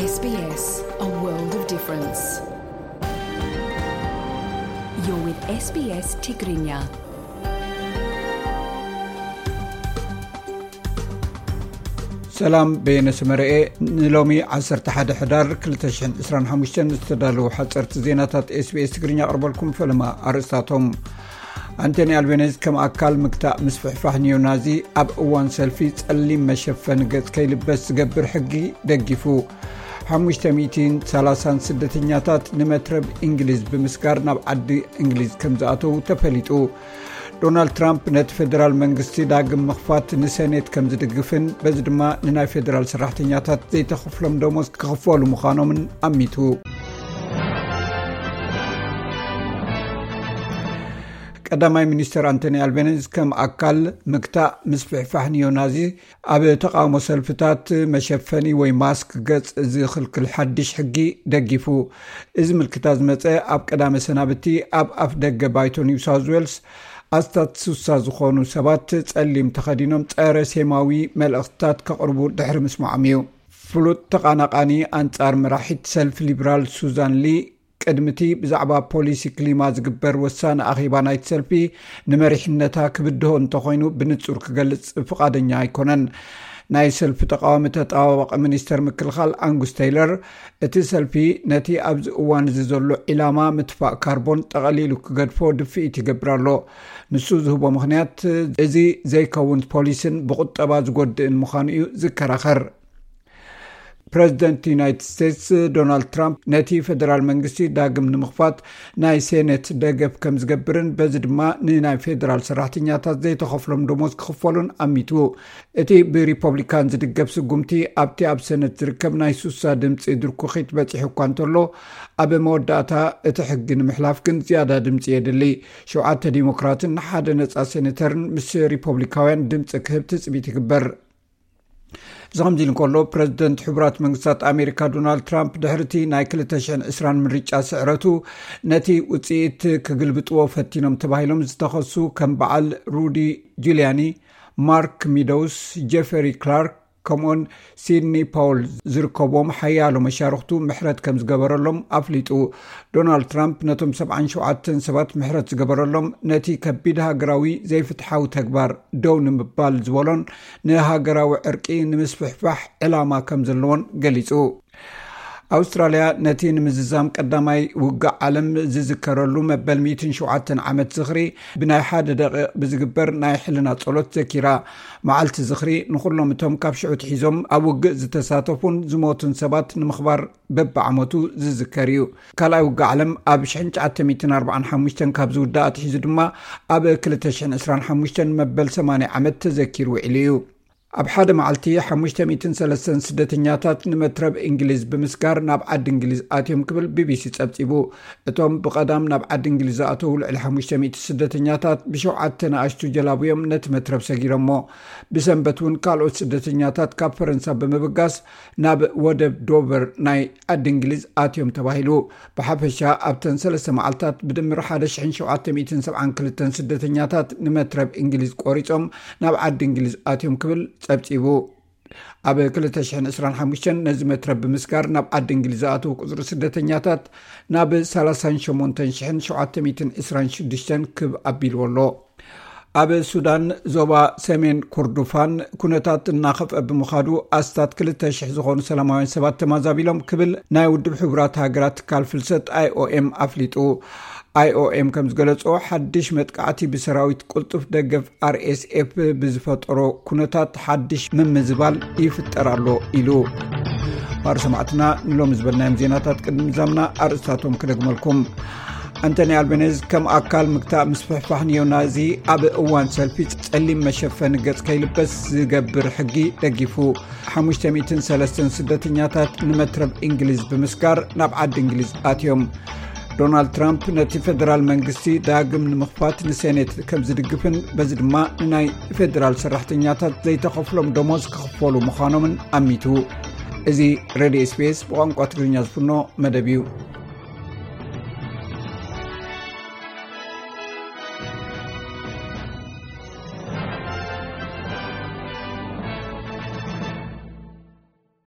S B S, a world of difference. You're with S B S Tigrinya. ሰላም፣ በየነ ሰመረኤ። ንሎሚ ዓሰርተ ሓደ ሕዳር ክልተ ሽሕን ዕስራን ሓሙሽተን ዝተዳለዉ ሓፀርቲ ዜናታት ኤስቢኤስ ትግርኛ ኣቕርበልኩም። ፈለማ ኣርእስታቶም። ኣንቶኒ ኣልቤነዝ ከም ኣካል ምግታእ ምስፍሕፋሕ ኒዮናዚ ኣብ እዋን ሰልፊ ጸሊም መሸፈኒ ገጽ ከይልበስ ዝገብር ሕጊ ደጊፉ። ሓሙሽተ ሚእትን ሰላሳን ስደተኛታት ንመትረብ እንግሊዝ ብምስጋር ናብ ዓዲ እንግሊዝ ከም ዝኣተዉ ተፈሊጡ። ዶናልድ ትራምፕ ነቲ ፌደራል መንግስቲ ዳግም ምኽፋት ንሰኔት ከም ዝድግፍን በዚ ድማ ንናይ ፌደራል ሰራሕተኛታት ዘይተኸፍሎም ደሞዝ ክኽፈሉ ምዃኖምን ኣሚቱ። ቀዳማይ ሚኒስተር ኣንቶኒ ኣልቤኒዝ ከም ኣካል ምግታእ ምስፍሕፋሕ ኒዮናዚ ኣብ ተቓውሞ ሰልፍታት መሸፈኒ ወይ ማስክ ገጽ ዝኽልክል ሓድሽ ሕጊ ደጊፉ። እዚ ምልክታ ዝመጸ ኣብ ቀዳመ ሰናብቲ ኣብ ኣፍ ደገ ባይቶ ኒው ሳውዝ ዌልስ ኣስታት ሱሳ ዝኾኑ ሰባት ጸሊም ተኸዲኖም ጸረ ሴማዊ መልእኽትታት ከቕርቡ ድሕሪ ምስማዖም እዩ። ፍሉጥ ተቓናቓኒ ኣንጻር መራሒት ሰልፊ ሊብራል ሱዛን ሊ ቅድሚቲ ብዛዕባ ፖሊሲ ክሊማ ዝግበር ወሳኒ ኣኼባ ናይቲ ሰልፊ ንመሪሕነታ ክብድሆ እንተኾይኑ ብንጹር ክገልጽ ፍቓደኛ ኣይኮነን። ናይ ሰልፊ ተቃዋሚ ተጣባባቂ ሚኒስተር ምክልኻል ኣንጉስ ቴይለር፣ እቲ ሰልፊ ነቲ ኣብዚ እዋን እዚ ዘሎ ዒላማ ምትፋእ ካርቦን ጠቐሊሉ ክገድፎ ድፍኢት ይገብር ኣሎ። ንሱ ዝህቦ ምኽንያት፣ እዚ ዘይከውን ፖሊስን ብቁጠባ ዝጎድእን ምዃኑ እዩ ዝከራኸር። ፕረዚደንት ዩናይትድ ስቴትስ ዶናልድ ትራምፕ ነቲ ፌደራል መንግስቲ ዳግም ንምኽፋት ናይ ሴኔት ደገፍ ከም ዝገብርን በዚ ድማ ንናይ ፌደራል ሰራሕተኛታት ዘይተኸፍሎም ደሞዝ ክኽፈሉን ኣሚቱ። እቲ ብሪፐብሊካን ዝድገፍ ስጉምቲ ኣብቲ ኣብ ሰነት ዝርከብ ናይ ሱሳ ድምፂ ድርኩኺት በፂሑ እኳ እንተሎ፣ ኣብ መወዳእታ እቲ ሕጊ ንምሕላፍ ግን ዝያዳ ድምፂ የድሊ። ሸውዓተ ዲሞክራትን ሓደ ነፃ ሴኔተርን ምስ ሪፐብሊካውያን ድምፂ ክህብ ትፅቢት ይግበር። እዚ ከምዚ ኢሉ እንከሎ፣ ፕረዚደንት ሕቡራት መንግስታት ኣሜሪካ ዶናልድ ትራምፕ ድሕሪቲ ናይ ክልተ ሽሕን ዕስራን ምርጫ ስዕረቱ ነቲ ውፅኢት ክግልብጥዎ ፈቲኖም ተባሂሎም ዝተኸሱ ከም በዓል ሩዲ ጁልያኒ፣ ማርክ ሚዶውስ፣ ጀፈሪ ክላርክ ከምኡን ሲድኒ ፓውል ዝርከብዎም ሓያሎ መሻርኽቱ ምሕረት ከም ዝገበረሎም ኣፍሊጡ። ዶናልድ ትራምፕ ነቶም ሰብዓን ሸውዓተን ሰባት ምሕረት ዝገበረሎም ነቲ ከቢድ ሃገራዊ ዘይፍትሓዊ ተግባር ደው ንምባል ዝበሎን ንሃገራዊ ዕርቂ ንምስፍሕፋሕ ዕላማ ከም ዘለዎን ገሊጹ። ኣውስትራልያ ነቲ ንምዝዛም ቀዳማይ ውግእ ዓለም ዝዝከረሉ መበል ሚእትን ሸውዓተን ዓመት ዝኽሪ ብናይ ሓደ ደቂቕ ብዝግበር ናይ ሕልና ጸሎት ዘኪራ። መዓልቲ ዝኽሪ ንኹሎም እቶም ካብ ሽዑ ትሒዞም ኣብ ውግእ ዝተሳተፉን ዝሞቱን ሰባት ንምኽባር በብዓመቱ ዝዝከር እዩ። ካልኣይ ውግእ ዓለም ኣብ ሽሕን ትሽዓተ ሚእትን ኣርባዓን ሓሙሽተን ካብ ዝውዳእ ኣትሒዙ ድማ ኣብ ክልተ ሽሕን ዕስራን ሓሙሽተን መበል ሰማንያ ዓመት ተዘኪሩ ውዒሉ እዩ። ኣብ ሓደ መዓልቲ ሓሙሽተ ሚእትን ሰለስተን ስደተኛታት ንመትረብ እንግሊዝ ብምስጋር ናብ ዓዲ እንግሊዝ ኣትዮም ክብል ቢቢሲ ጸብጺቡ። እቶም ብቐዳም ናብ ዓዲ እንግሊዝ ዝኣተዉ ልዕሊ ሓሙሽተ ሚእቲ ስደተኛታት ብሸውዓተ ንኣሽቱ ጀላቡ እዮም ነቲ መትረብ ሰጊሮሞ። ብሰንበት እውን ካልኦት ስደተኛታት ካብ ፈረንሳ ብምብጋስ ናብ ወደብ ዶቨር ናይ ዓዲ እንግሊዝ ኣትዮም ተባሂሉ። ብሓፈሻ ኣብተን ሰለስተ መዓልታት ብድምር ሓደ ሽሕን ሸውዓተ ሚእትን ሰብዓን ክልተን ስደተኛታት ንመትረብ እንግሊዝ ቆሪጾም ናብ ዓዲ እንግሊዝ ኣትዮም ክብል ጸብጺቡ። ኣብ ክልተ ሽሕን ዕስራን ሓሙሽተን ነዚ መትረብ ብምስጋር ናብ ዓዲ እንግሊዝ ዝኣተዉ ቁጽሪ ስደተኛታት ናብ ሰላሳን ሸሞንተን ሽሕን ሸውዓተ ሚእትን ዕስራን ሽዱሽተን ክብ ኣቢልዎ ኣሎ። ኣብ ሱዳን ዞባ ሰሜን ኩርዱፋን ኩነታት እናኸፍአ ብምዃዱ ኣስታት ክልተ ሽሕ ዝኾኑ ሰላማውያን ሰባት ተማዛቢሎም ክብል ናይ ውድብ ሕቡራት ሃገራት ትካል ፍልሰት ኣይኦኤም ኣፍሊጡ። ኣይኦኤም ከም ዝገለጾ ሓድሽ መጥቃዕቲ ብሰራዊት ቅልጡፍ ደገፍ ኣርኤስኤፍ ብዝፈጠሮ ኩነታት ሓድሽ ምምዝባል ይፍጠር ኣሎ ኢሉ። ማር ሰማዕትና ንሎሚ ዝበልናዮም ዜናታት ቅድሚ ምዛምና ኣርእስታቶም ክደግመልኩም። ኣንቶኒ ኣልቤኔዝ ከም ኣካል ምግታእ ምስፍሕፋሕ ኒዮናዚ ኣብ እዋን ሰልፊ ጸሊም መሸፈኒ ገጽ ከይልበስ ዝገብር ሕጊ ደጊፉ። ሓሙሽተ ሚእትን ሰለስተን ስደተኛታት ንመትረብ እንግሊዝ ብምስጋር ናብ ዓዲ እንግሊዝ ኣትዮም። ዶናልድ ትራምፕ ነቲ ፌደራል መንግስቲ ዳግም ንምኽፋት ንሴኔት ከም ዝድግፍን በዚ ድማ ንናይ ፌደራል ሰራሕተኛታት ዘይተኸፍሎም ደሞዝ ክኽፈሉ ምዃኖምን ኣሚቱ። እዚ ሬድዮ ኤስቢኤስ ብቋንቋ ትግርኛ ዝፍኖ መደብ እዩ።